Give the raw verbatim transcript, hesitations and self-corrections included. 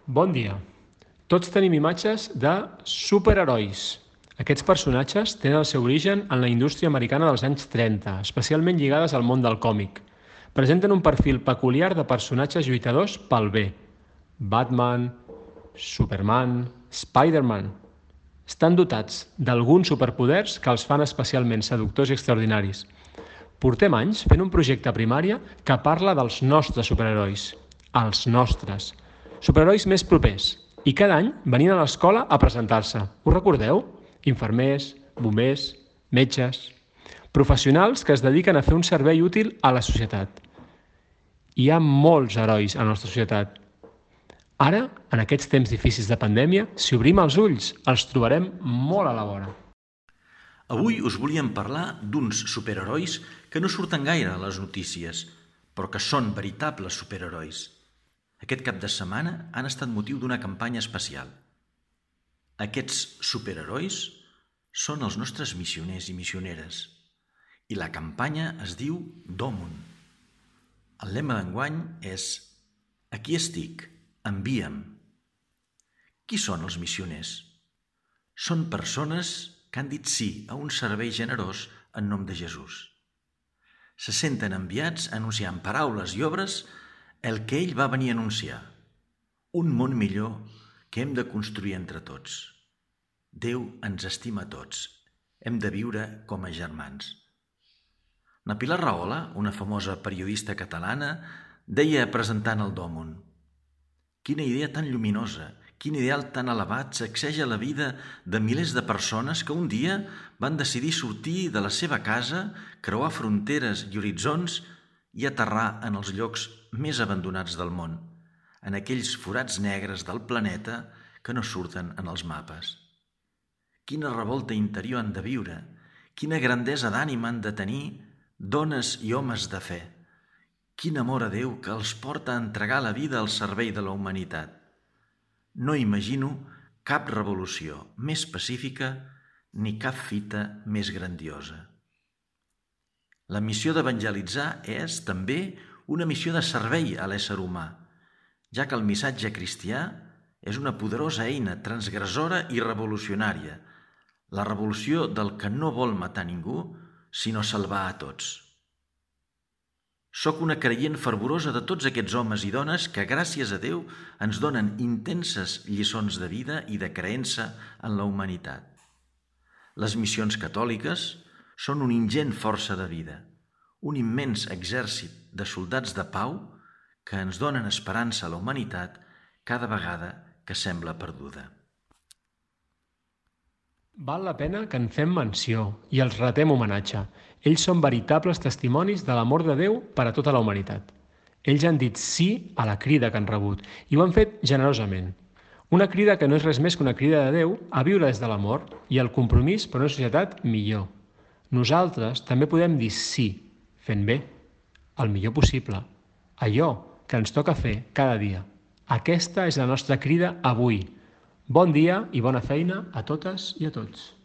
Bon dia. Tots tenim imatges de superherois. Aquests personatges tenen el seu origen en la indústria americana dels anys trenta, especialment lligades al món del còmic. Presenten un perfil peculiar de personatges lluitadors pel bé. Batman, Superman, Spider-Man. Estan dotats d'alguns superpoders que els fan especialment seductors i extraordinaris. Portem anys fent un projecte a primària que parla dels nostres superherois. Els nostres. Superherois més propers. I cada any venien a l'escola a presentar-se. Ho recordeu? Infermers, bombers, metges... Professionals que es dediquen a fer un servei útil a la societat. Hi ha molts herois a la nostra societat. Ara, en aquests temps difícils de pandèmia, si obrim els ulls, els trobarem molt a la vora. Avui us volíem parlar d'uns superherois que no surten gaire a les notícies, però que són veritables superherois. Aquest cap de setmana han estat motiu d'una campanya especial. Aquests superherois són els nostres missioners i missioneres, i la campanya es diu Domun. El lema d'enguany és Aquí estic, envia'm. Qui són els missioners? Són persones que han dit sí a un servei generós en nom de Jesús. Se senten enviats a anunciar en paraules i obres el que ell va venir a anunciar, un món millor que hem de construir entre tots. Déu ens estima a tots, hem de viure com a germans. La Pilar Rahola, una famosa periodista catalana, deia presentant el Domun: quina idea tan lluminosa, quin ideal tan elevat sacseja la vida de milers de persones que un dia van decidir sortir de la seva casa, creuar fronteres i horitzons i aterrar en els llocs més abandonats del món, en aquells forats negres del planeta que no surten en els mapes. Quina revolta interior han de viure, quina grandesa d'ànima han de tenir dones i homes de fe, quin amor a Déu que els porta a entregar la vida al servei de la humanitat. No imagino cap revolució més pacífica ni cap fita més grandiosa. La missió d'evangelitzar és, també, una missió de servei a l'ésser humà, ja que el missatge cristià és una poderosa eina transgressora i revolucionària, la revolució del que no vol matar ningú, sinó salvar a tots. Soc una creient fervorosa de tots aquests homes i dones que, gràcies a Déu, ens donen intenses lliçons de vida i de creença en la humanitat. Les missions catòliques són una ingent força de vida, un immens exèrcit de soldats de pau que ens donen esperança a la humanitat cada vegada que sembla perduda. Val la pena que en fem menció i els retem homenatge. Ells són veritables testimonis de l'amor de Déu per a tota la humanitat. Ells han dit sí a la crida que han rebut i ho han fet generosament. Una crida que no és res més que una crida de Déu a viure des de l'amor i el compromís per una societat millor. Nosaltres també podem dir sí, fent bé, el millor possible, allò que ens toca fer cada dia. Aquesta és la nostra crida avui. Bon dia i bona feina a totes i a tots.